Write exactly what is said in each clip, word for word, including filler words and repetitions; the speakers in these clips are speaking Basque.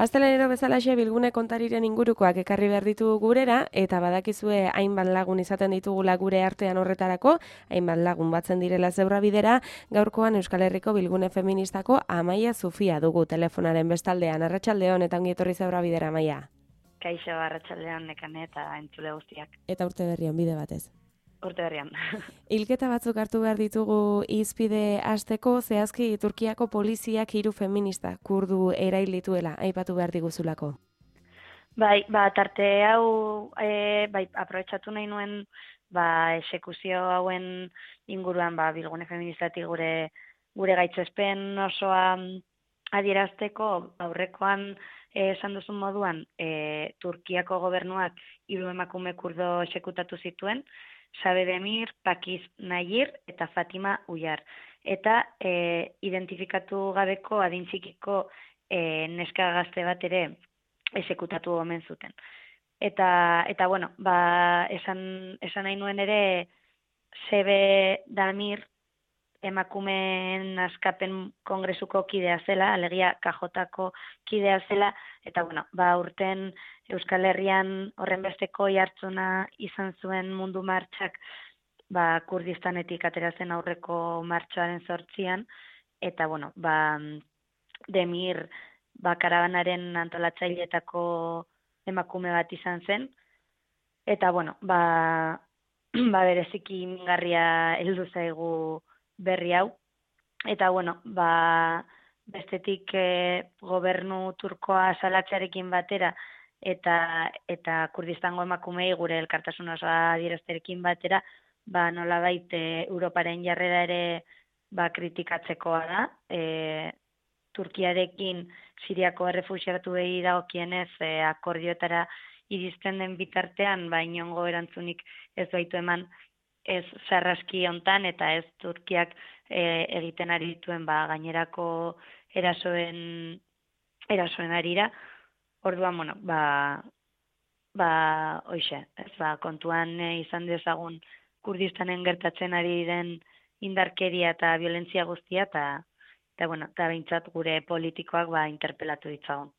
Astelenero bezalaxe bilgune kontariren ingurukoak ekarri behar ditu gurera, eta badakizue hainbat lagun izaten ditugula gure artean horretarako, hainbat lagun batzen direla zebra bidera, gaurkoan Euskal Herriko bilgune feministako Amaia Zufia dugu telefonaren bestaldean. Arratsaldeon eta ongi etorri zebra bidera, Amaia. Kaixo, arratsaldeon nekane eta entzule guztiak. Eta urte berrian bide batez. Urte berrian. Hilketa batzuk hartu behar ditugu izpide hasteko, zehazki Turkiako poliziak hiru feminista kurdu erail dituela, aipatu behar diguzulako. Bai, ba, tarte hau, e, bai, aprobetxatu nahi nuen, ba, esekuzio hauen inguruan, ba, bilgune feministatik gure, gure gaitzespen osoa adierazteko, aurrekoan e, esan duzun moduan, e, Turkiako gobernuak hiru emakume kurdo esekutatu zituen, Sabe Demir, Pakiz Nayir eta Fatima Uyar. Eta e, identifikatu gabeko adintzikiko e, neska gazte bat ere esekutatu omen zuten. Eta, eta bueno, ba, esan, esan nahi nuen ere Sebe Damir emakumeen askapen kongresuko kidea zela, alegia kajotako kidea zela, eta bueno, ba, urten Euskal Herrian horren besteko jartzuna izan zuen mundu martxak, ba, Kurdistanetik atera zen aurreko martxoaren zortzian, eta bueno, ba, Demir ba, karabanaren antolatzaileetako emakume bat izan zen, eta bueno, ba, ba bereziki mingarria heldu zaigu berri hau, eta bueno, ba, bestetik e, gobernu turkoa salatzearekin batera, eta eta Kurdistango emakumei gure elkartasun osoa adierazterekin batera, ba nolabait e, Europaren jarrera ere ba kritikatzekoa da. E, Turkiarekin Siriako errefuxiatuei dagokienez e, akordioetara iristen den bitartean, ba inongo erantzunik ez baitu eman ez sarraski hontan eta ez Turkiak e, egiten ari dituen ba gainerako erasoen erasoen arira. Orduan, bueno, ba, ba, hoxe, ez ba, kontuan e, izan dezagun Kurdistanen gertatzen ari den indarkeria eta violentzia guztia, eta, eta bueno, eta behintzat gure politikoak ba, interpelatu ditzagun.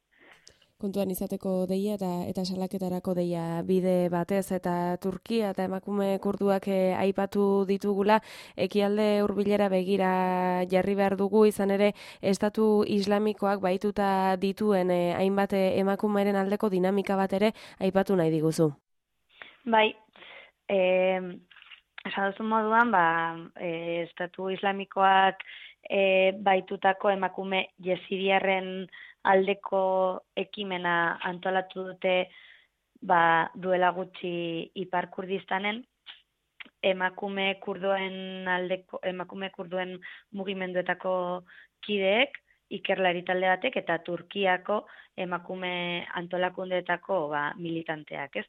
Kontuan izateko deia eta eta salaketarako deia bide batez eta Turkia eta emakume kurduak e, aipatu ditugula, ekialde hurbilera begira jarri behar dugu, izan ere estatu islamikoak baituta dituen e, hainbat emakumeren aldeko dinamika bat ere aipatu nahi diguzu. Bai, eh, esan duzun moduan, ba, e, estatu islamikoak e, baitutako emakume jesidiarren aldeko ekimena antolatu dute ba, duela gutxi Ipar Kurdistanen, emakume kurdoen aldeko emakume kurdoen mugimenduetako kideek, ikerlari talde batek eta Turkiako emakume antolakundeetako ba, militanteak, ez?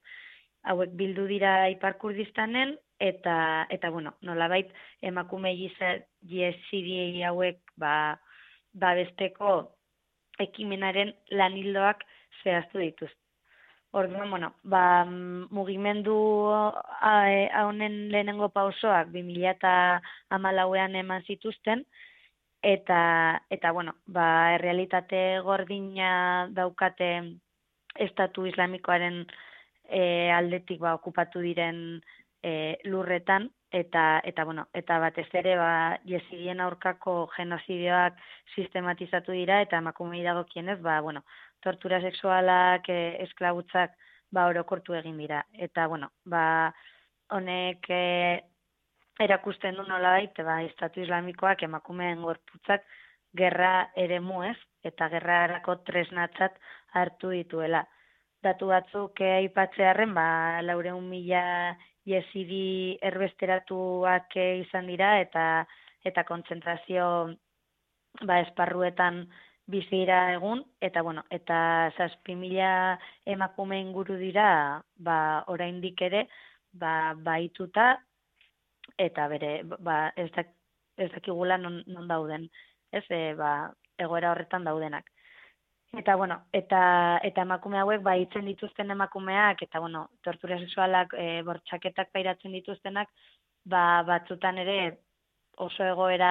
Hauek bildu dira Ipar Kurdistanen eta eta bueno, nolabait emakume jesidi hauek ba babesteko ekimenaren lanildoak zehaztu dituzte. Orduan, bueno, ba, mugimendu honen lehenengo pausoak bi mila hamalauean eman zituzten, eta, eta bueno, ba, errealitate gordina daukate estatu islamikoaren e, aldetik ba, okupatu diren e, lurretan, eta eta bueno, eta batez ere ba jesidien aurkako genozidioak sistematizatu dira eta emakumei dagokienez ba bueno, tortura sexualak, e, esklabutzak ba orokortu egin dira eta bueno, ba honek e, erakusten du nolabait ba estatu islamikoak emakumeen gorputzak gerra eremu ez eta gerrarako tresnatzat hartu dituela. Datu batzuk aipatzearren ba laurehun mila jesidi erbesteratuak izan dira eta eta kontzentrazio ba esparruetan bizi dira egun eta bueno, eta zazpi mila emakume inguru dira ba oraindik ere ba baituta eta bere ba ez da ez dakigula non, non dauden, ez e, ba egoera horretan daudenak. Eta bueno, eta eta emakume hauek ba hitzen dituzten emakumeak eta bueno, tortura sexualak, e, bortxaketak pairatzen dituztenak, ba batzutan ere oso egoera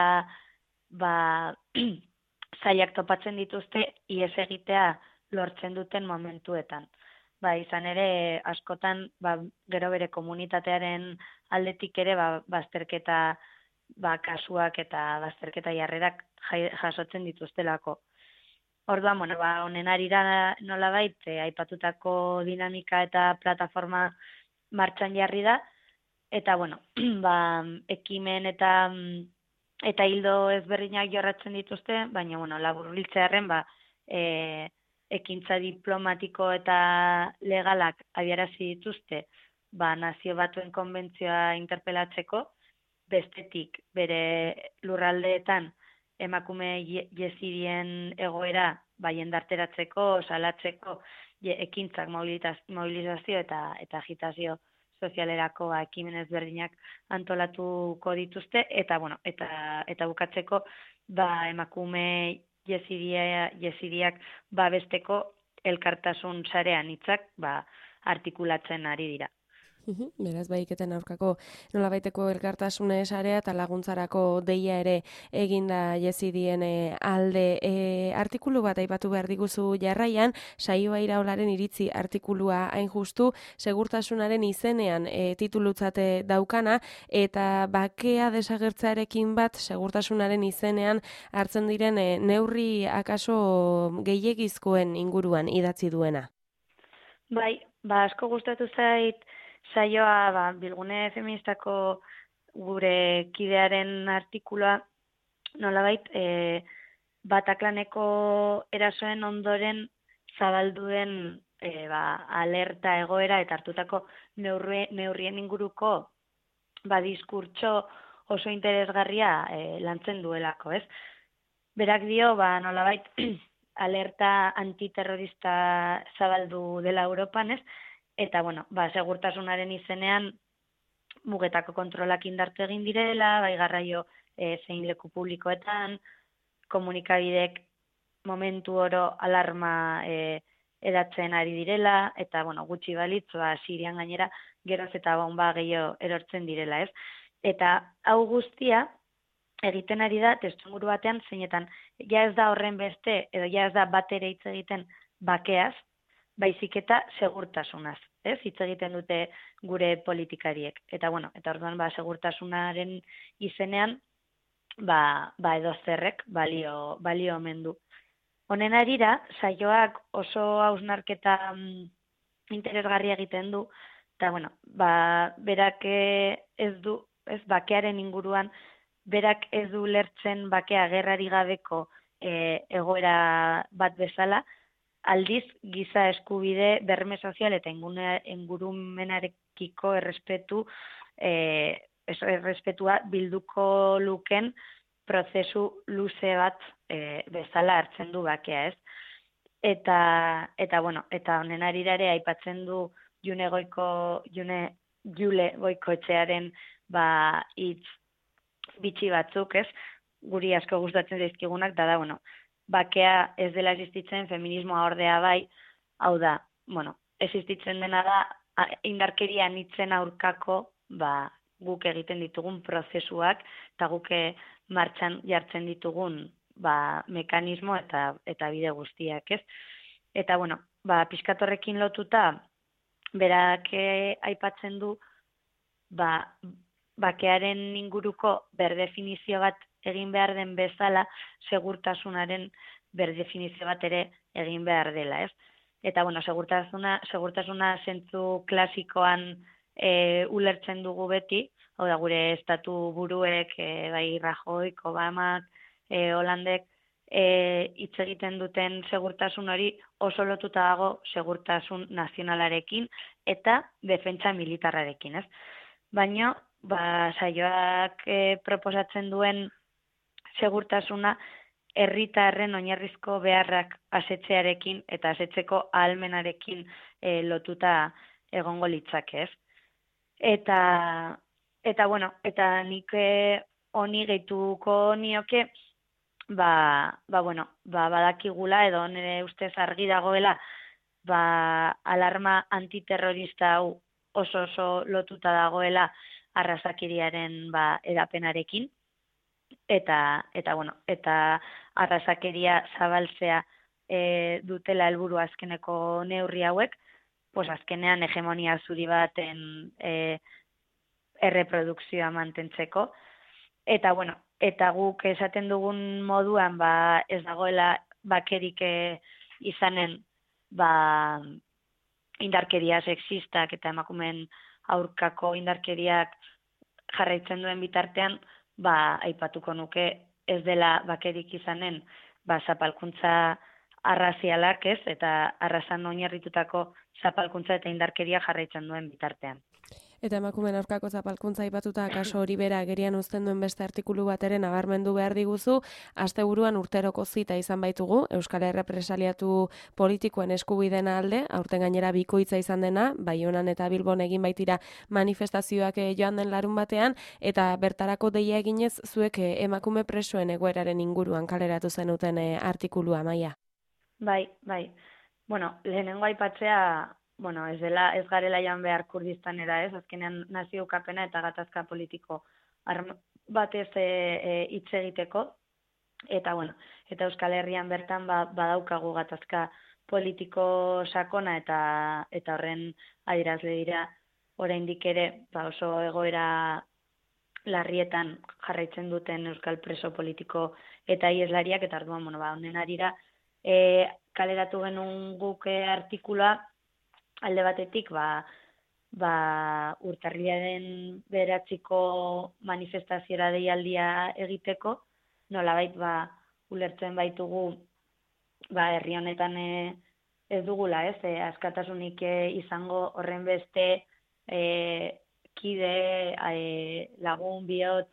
ba zailak topatzen dituzte ihes egitea lortzen duten momentuetan. Ba, izan ere, askotan, ba, gero bere komunitatearen aldetik ere, ba, bazterketa ba, kasuak eta bazterketa jarrerak jasotzen dituztelako. Orduan, bueno, ba, honen arira nolabait, e, aipatutako dinamika eta plataforma martxan jarri da, eta, bueno, ba, ekimen eta eta hildo ezberdinak jorratzen dituzte, baina, bueno, laburbiltzearren, ba, e, ekintza diplomatiko eta legalak abiarazi dituzte, ba, Nazio Batuen konbentzioa interpelatzeko, bestetik bere lurraldeetan emakume jezidien egoera ba, jendarteratzeko, salatzeko, ekintzak mobilizazio eta, eta agitazio sozialerako ekimen ezberdinak antolatuko dituzte, eta, bueno, eta, eta bukatzeko ba, emakume jezidia, jezidiak babesteko elkartasun sarean hitzak ba, artikulatzen ari dira. Uhum, beraz, bahiketen aurkako nolabaiteko elkartasune sarea eta laguntzarako deia ere eginda jezidien alde. E, artikulu bat aipatu behar diguzu jarraian, Saioa Iraolaren iritzi artikulua hain justu, segurtasunaren izenean e, titulutzate daukana, eta bakea desagertzearekin bat segurtasunaren izenean hartzen diren e, neurri akaso gehiegizkoen inguruan idatzi duena. Bai, ba asko gustatu zait saioa ba, Bilgune Feministako gure kidearen artikulua nolabait e, Bataklaneko erasoen ondoren zabalduen e, ba, alerta egoera eta hartutako neurri, neurrien inguruko ba, diskurtso oso interesgarria e, lantzen duelako, ez? Berak dio, ba, nolabait alerta antiterrorista zabaldu dela Europan, ez? Eta, bueno, ba, segurtasunaren izenean mugetako kontrolak indartu egin direla, bai garraio e, zein leku publikoetan, komunikabidek momentu oro alarma e, edatzen ari direla, eta, bueno, gutxi balitz, ba, Sirian gainera geroz eta bomba gehiago erortzen direla, ez? Eta hau guztia egiten ari da testuinguru batean zeinetan ja ez da horren beste, edo ja ez da bat ere hitz egiten bakeaz, baizik eta segurtasunaz, ez? Hitz egiten dute gure politikariek. Eta, bueno, eta orduan, ba, segurtasunaren izenean, ba, ba edo zerrek balio, balio omen du. Honen arira, saioak oso hausnarketa mm, interesgarria egiten du, eta, bueno, ba, berak ez du, ez, bakearen inguruan, berak ez du lertzen bakea gerrari gabeko e, egoera bat bezala, aldiz giza eskubide berme sozial eta ingurumenarekiko errespetu eh, errespetua bilduko luken prozesu luze bat e, bezala hartzen du bakea, ez? Eta, eta bueno, eta honen arirare aipatzen du June Goiko, June Jule Goikoetxearen ba hitz bitxi batzuk, ez? Guri asko gustatzen zaizkigunak da da, bueno, bakea ez dela existitzen, feminismoa ordea bai, hau da, bueno, existitzen dena da, indarkeria anitzen aurkako, ba, guk egiten ditugun prozesuak, eta guke martxan jartzen ditugun, ba, mekanismo eta eta bide guztiak, ez? Eta, bueno, ba, pizkatorrekin lotuta, berak aipatzen du, ba, bakearen inguruko berdefinizio bat egin behar den bezala, segurtasunaren berdefinizio bat ere egin behar dela, ez? Eta, bueno, segurtasuna, segurtasuna zentzu klasikoan e, ulertzen dugu beti, hau da, gure estatu buruek, e, bai Rajoy, Obamak, e, Holandek, hitz e, egiten duten segurtasun hori oso lotuta dago segurtasun nazionalarekin eta defentsa militarrarekin, ez? Baina, ba, saioak e, proposatzen duen segurtasuna herritarren oinarrizko beharrak asetzearekin eta asetzeko ahalmenarekin e, lotuta egongo litzake, ez? Eta, eta bueno, eta nik honi gehituko nioke, ba, ba, bueno, ba, badakigula edo nire ustez argi dagoela, ba, alarma antiterrorista hau oso oso lotuta dagoela arrazakiriaren ba, edapenarekin. Eta, eta, bueno, eta arrazakeria zabaltzea e, dutela helburu azkeneko neurri hauek, pues azkenean hegemonia zuri baten e, erreprodukzioa mantentzeko. Eta, bueno, eta guk esaten dugun moduan, ba, ez dagoela bakerik e, izanen, ba, indarkeria sexistak eta emakumeen aurkako indarkeriak jarraitzen duen bitartean, ba, aipatuko nuke ez dela bakerik izanen, ba, zapalkuntza arrazialak ez, eta arrazan oinarritutako zapalkuntza eta indarkeria jarraitzen duen bitartean. Eta emakumeen aurkako zapalkuntza aipatuta kaso hori bera agerian uzten duen beste artikulu bat ere nabarmendu behar diguzu, asteburuan urteroko zita izan baitugu, Euskal Errepresaliatu politikoen eskubideen alde, aurten gainera bikoitza izan dena, Baionan eta Bilbon egin baitira manifestazioak joan den larun batean, eta bertarako deia eginez zuek emakume presoen egoeraren inguruan kaleratu zenuten artikulua, Maia. Bai, bai. Bueno, lehenengo aipatzea, bueno, ez dela, ez garela joan behar Kurdistanera, ez, azkenean nazio ukapena eta gatazka politiko batez hitz e, egiteko, eta bueno, eta Euskal Herrian bertan ba, badaukagu gatazka politiko sakona eta eta horren adierazle dira oraindik ere, ba oso egoera larrietan jarraitzen duten euskal preso politiko eta ieslariak, eta orduan, bueno, ba honen arira e, kaleratu genuen guk artikula alde batetik, ba, ba, urtarrilaren beratziko manifestaziora deialdia egiteko, nolabait ba, ulertzen baitugu ba, herri honetan e, ez dugula, ez, e, askatasunik e, izango horren beste e, kide, e, lagun, bihotz,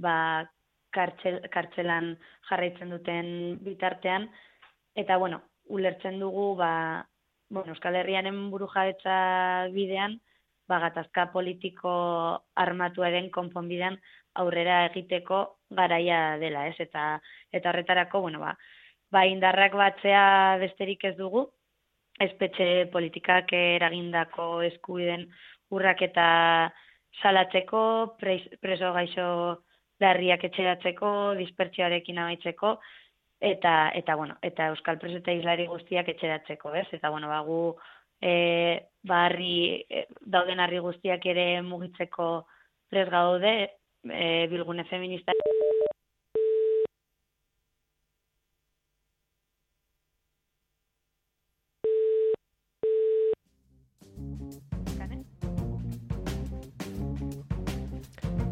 ba, kartxel, kartxelan jarraitzen duten bitartean, eta, bueno, ulertzen dugu, ba, bueno, Euskal Herriaren burujabetza bidean, ba, gatazka politiko armatuaren konponbidean aurrera egiteko garaia dela, ez? Eta eta horretarako, bueno, ba, ba indarrak batzea besterik ez dugu, espetxe politikak eragindako eskubideen urraketa salatzeko, preso gaixo larriak etxeratzeko, dispertsioarekin amaitzeko, eta eta bueno, eta euskal preso eta islari guztiak etxeratzeko, ez? Eta bueno, ba gu eh ba harri e, dauden harri guztiak ere mugitzeko prest gaude, e, bilgune feminista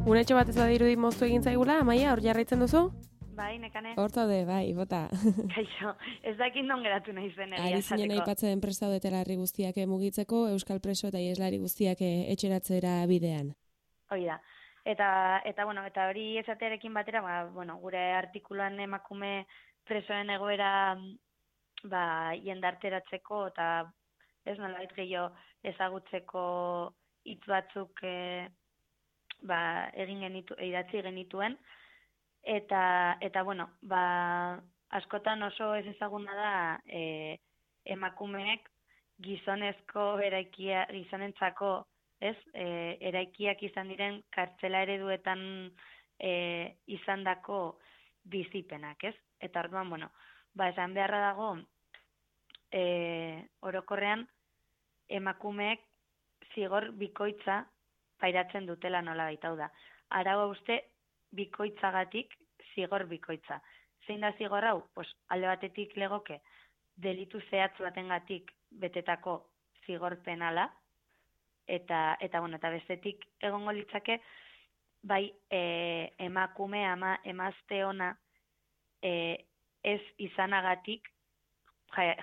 Unetxo bat ez badirudi moztu egin zaigula, Amaia, hor jarraitzen duzu? Bai, nekane. Hortaude, bai, bota. Kaixo, ez dakit non geratu nahi zen egia Ari zinen aipatzen prest daudetela herri guztiak mugitzeko, euskal preso eta ieslari guztiak etxeratzera bidean. Hoi da. Eta, eta, bueno, eta hori esatearekin batera, ba, bueno, gure artikuluan emakume presoen egoera ba, jendarteratzeko eta ez nolabait gehiago ezagutzeko hitz batzuk e, ba, egin genitu, idatzi genituen. Eta, eta bueno, ba, askotan oso ez ezaguna da e, emakumeek gizonezko eraikia, gizonentzako, ez, e, eraikiak izan diren kartzela ereduetan e, izandako bizipenak, ez? Eta orduan, bueno, ba, esan beharra dago, e, orokorrean emakumeek zigor bikoitza pairatzen dutela nola baita, hau da. Arau uste bikoitzagatik zigor bikoitza. Zein da zigor hau? Pues, alde batetik legoke delitu zehatz batengatik betetako zigor penala, eta, eta, bueno, eta bestetik egongo litzake, bai e, emakume ama emazte ona e, ez izanagatik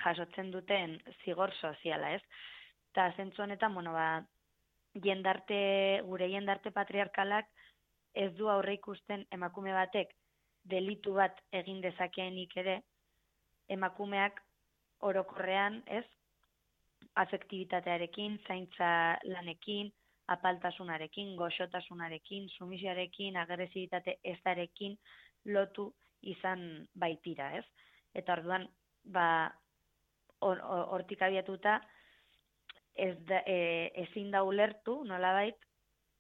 jasotzen duten zigor soziala, ez? Eta zentzu honetan, bueno, ba, jendarte, gure jendarte patriarkalak ez du aurre ikusten emakume batek delitu bat egin dezakeenik ere, emakumeak orokorrean, ez, afektibitatearekin, zaintza lanekin, apaltasunarekin, goxotasunarekin, sumisioarekin, agresibitate ezarekin lotu izan baitira, ez? Eta orduan, ba, hortik or, abiatuta, ez da, e, ezin da ulertu, nolabait,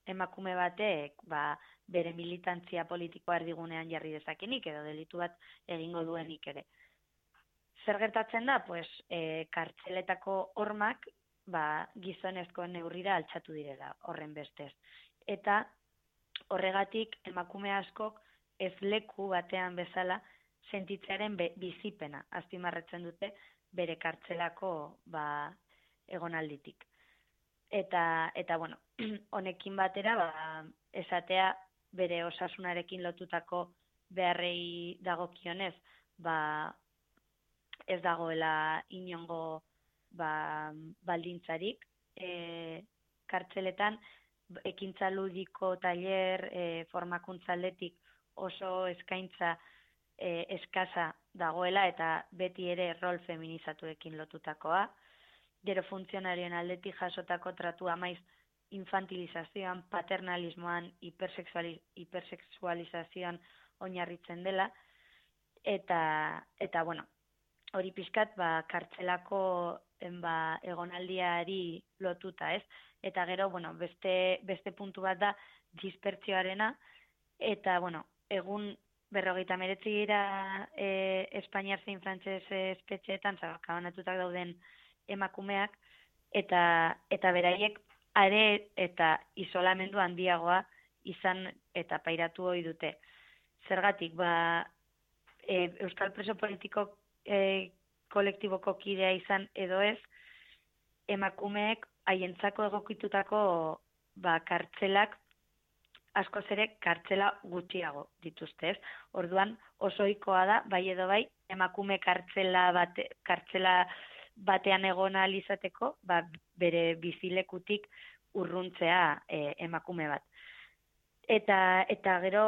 emakume batek, ba, bere militantzia politikoa erdigunean jarri dezakenik, edo delitu bat egingo duenik ere. zer gertatzen da, pues, e, kartzeletako hormak ba, gizonezko neurrira altxatu direla horren bestez. Eta horregatik emakume askok ez leku batean bezala sentitzearen bizipena azpimarratzen dute bere kartzelako ba, egonalditik. Eta, eta bueno, honekin batera ba, esatea bere osasunarekin lotutako beharrei dagokionez, ba, ez dagoela inongo ba, baldintzarik. E, kartzeletan ekintza ludiko tailer, e, formakuntza aldetik oso eskaintza e, eskasa dagoela eta beti ere rol feminizatuekin lotutakoa. Gero funtzionarioen aldetik jasotako tratua maiz infantilizazioan, paternalismoan, hipersexuali, hipersexualizazioan oinarritzen dela. Eta, eta bueno, hori pixkat ba, kartzelako ba, egonaldiari lotuta, ez? Eta gero, bueno, beste, beste puntu bat da dispertzioarena, eta, bueno, egun berrogeita meretzi gira e, Espainiar zein frantses espetxeetan, zabakabanatutak dauden emakumeak, eta, eta beraiek are eta isolamendu handiagoa izan eta pairatu hori dute. Zergatik, ba, e, Euskal Preso Politiko e, kolektiboko kidea izan edo ez, emakumeek haientzako egokitutako ba, kartzelak askoz ere kartzela gutxiago dituzte, ez? Orduan oso ohikoa da, bai edo bai, emakume kartzela, bate, kartzela batean egon ahal izateko, ba, bere bizilekutik urruntzea e, emakume bat. Eta, eta gero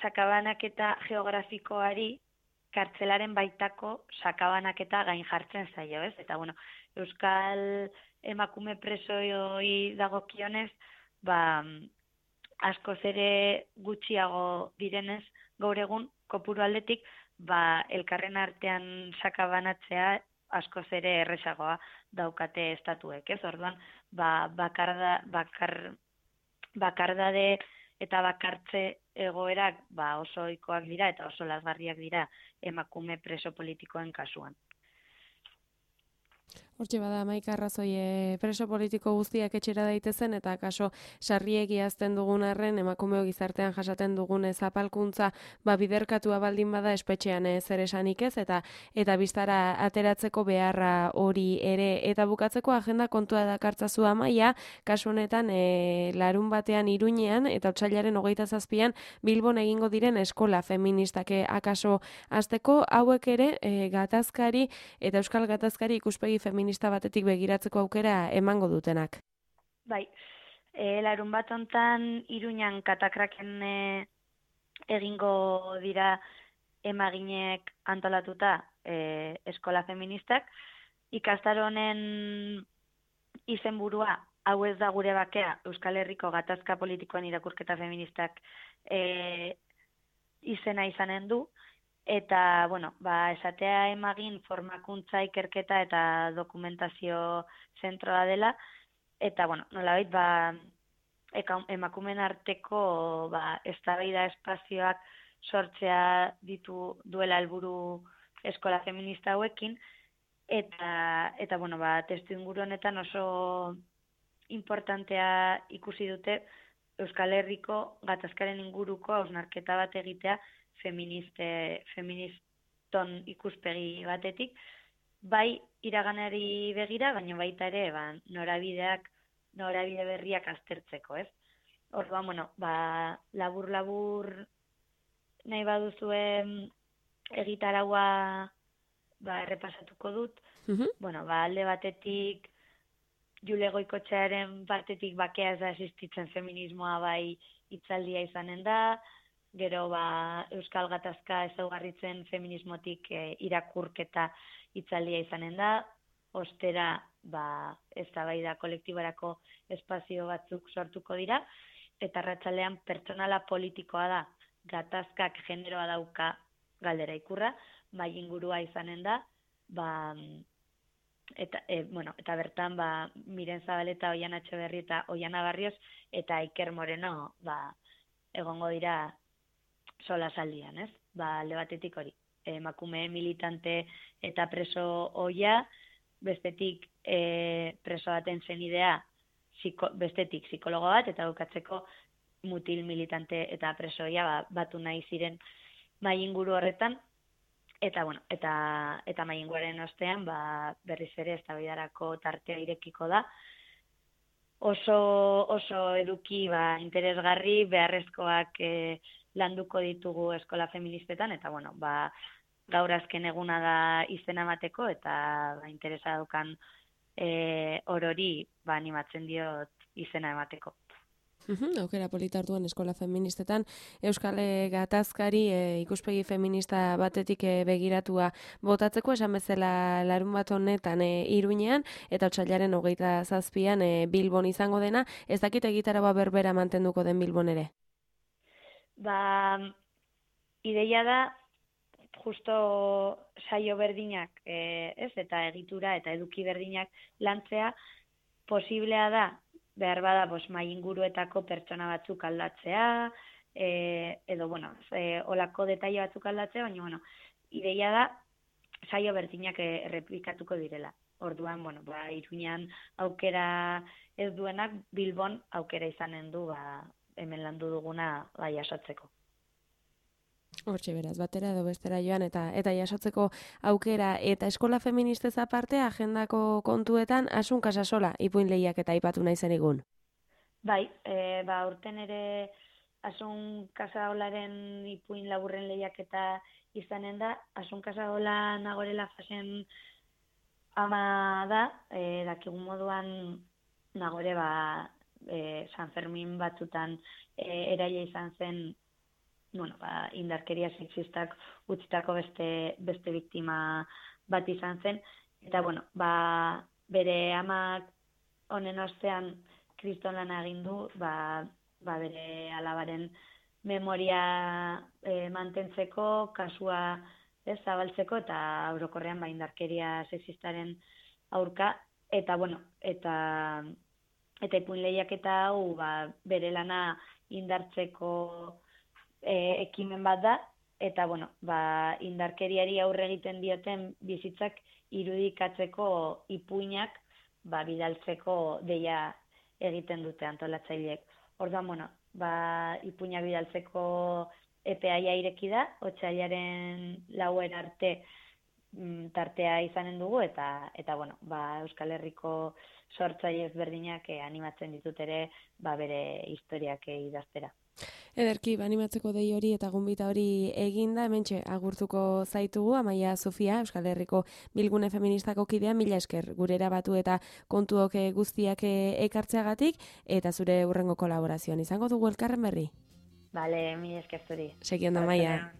sakabanaketa geografikoari kartzelaren baitako sakabanaketa gain jartzen zaio, ez? Eta, bueno, Euskal emakume presoi dagokionez, ba, askoz ere gutxiago direnez, gaur egun, kopuru aldetik, ba, elkarren artean sakabanatzea askoz ere erresagoa daukate estatuek, ez? Orduan, ba, bakarda, bakar, bakardade eta bakartze egoerak ba, oso ohikoak dira eta oso lazgarriak dira emakume preso politikoen kasuan. Hortxe bada, Maika arrazoi e, preso politiko guztiak etxera daitezen eta kaso sarriegi azten dugun arren emakumeo gizartean jasaten dugun zapalkuntza ba, biderkatua baldin bada espetxean ez ere esanik ez eta eta biztara ateratzeko beharra hori ere eta bukatzeko agenda kontua dakartzazu Amaia, kasu honetan e, larun batean Iruñean eta otsailaren hogeita zazpian Bilbon egingo diren eskola feministake akaso hasteko hauek ere e, gatazkari eta euskal gatazkari ikuspegi feminista batetik begiratzeko aukera emango dutenak. Bai, e, larun bat hontan Iruñan katakraken e, egingo dira emaginek antolatuta e, eskola feministak. Ikastaro honen izenburua hau ez da gure bakea Euskal Herriko gatazka politikoen irakurketa feministak e, izena izanen du. Eta, bueno, ba, esatea emagin formakuntza ikerketa eta dokumentazio zentroa dela. Eta, bueno, nolabait, ba, emakumen arteko ba, eztabaida espazioak sortzea ditu duela helburu eskola feminista hauekin. Eta, eta bueno, ba, testu inguru honetan oso importantea ikusi dute Euskal Herriko gatazkaren inguruko hausnarketa bat egitea feministe, feministon ikuspegi batetik, bai iraganari begira, baina baita ere ba, norabideak, norabide berriak aztertzeko, ez? Orduan, bueno, ba, labur-labur nahi baduzue egitaraua ba, errepasatuko dut. Uh-huh. Bueno, ba, alde batetik, Jule Goikotxearen partetik bakea ez da existitzen feminismoa bai hitzaldia izanen da, gero ba, Euskal Gatazka ezaugarritzen feminismotik e, irakurketa hitzaldia izanen da, ostera ba, eztabaida kolektiborako espazio batzuk sortuko dira, eta arratsalean pertsonala politikoa da, gatazkak generoa dauka galdera ikurra, bai ingurua izanen da, ba, eta, e, bueno, eta bertan ba, Miren Zabaleta, Oiana Etxeberri eta Oiana Barrios eta Iker Moreno ba, egongo dira sola saldian, ez? Ba, alde batetik hori. emakume militante eta preso oia, bestetik e, preso baten zenidea, ziko, bestetik psikologo bat, eta bukatzeko mutil militante eta preso oia ba, batu nahi ziren mai inguru horretan, eta bueno, eta, eta mai inguruaren ostean ba, berriz ere eztabaidarako tartea irekiko da, oso, oso eduki ba, interesgarri, beharrezkoak e, landuko ditugu eskola feministetan, eta bueno, ba, gaur azken eguna da izena emateko, eta ba, interesa daukan e, orori ba, animatzen diot izena emateko. Uhum, aukera polita orduan eskola feministetan, Euskal Gatazkari e, ikuspegi feminista batetik e, begiratua botatzeko, esan bezala larun bat honetan e, Iruñean, eta otsailaren hogeita zazpian e, Bilbon izango dena, ez dakit egitaragoa berbera mantenduko den Bilbon ere? Ba, ideia da, justo saio berdinak, e, ez, eta egitura eta eduki berdinak lantzea, posiblea da, behar bada, bos, mai inguruetako pertsona batzuk aldatzea, e, edo, bueno, e, olako detaile batzuk aldatzea, baina, bueno, ideia da, saio berdinak errepikatuko direla. Orduan, bueno, ba, Iruñean aukera ez duenak, Bilbon aukera izanen du, ba, hemen landu duguna, ba, jasotzeko. Hortxe beraz, batera edo bestera joan eta eta jasotzeko aukera eta eskola feministez aparte agendako kontuetan Asun Casasola ipuin lehiak eta aipatu nahi zenigun. Bai, e, ba, urten ere Asun Casasolaren ipuin laburren lehiak eta izanen da, Asun Casasola Nagorela fasen ama da, e, dakigun moduan Nagore ba, e, San Fermin batzutan e, eraila izan zen, bueno, ba, indarkeria sexistak utzitako beste, beste biktima bat izan zen, eta bueno, ba, bere amak honen ostean kriston lana egin du, ba, ba, bere alabaren memoria e, mantentzeko, kasua ez, zabaltzeko, eta orokorrean ba, indarkeria sexistaren aurka, eta bueno, eta eta ipuin lehiaketa hau ba, bere lana indartzeko E, ekimen bat da, eta bueno, ba, indarkeriari aurre egiten dioten bizitzak irudikatzeko ipuinak ba, bidaltzeko deia egiten dute antolatzaileek. Orduan, bueno, ba, ipuinak bidaltzeko epea ireki da, otsailaren lauera arte mm, tartea izanen dugu, eta, eta bueno, ba, Euskal Herriko sortzaile ezberdinak eh, animatzen ditut ere ba, bere historiak eh, idaztera. Ederki, animatzeko dei hori eta gonbita hori eginda, hementxe agurtuko zaitugu, Amaia Sofia, Euskal Herriko Bilgune Feministako kidea, mila esker gure erabatu eta kontuok guztiak ekartzeagatik, eta zure hurrengo kolaborazioan izango dugu elkarren berri. Bale, mila esker zuri. Segi ondo, Amaia.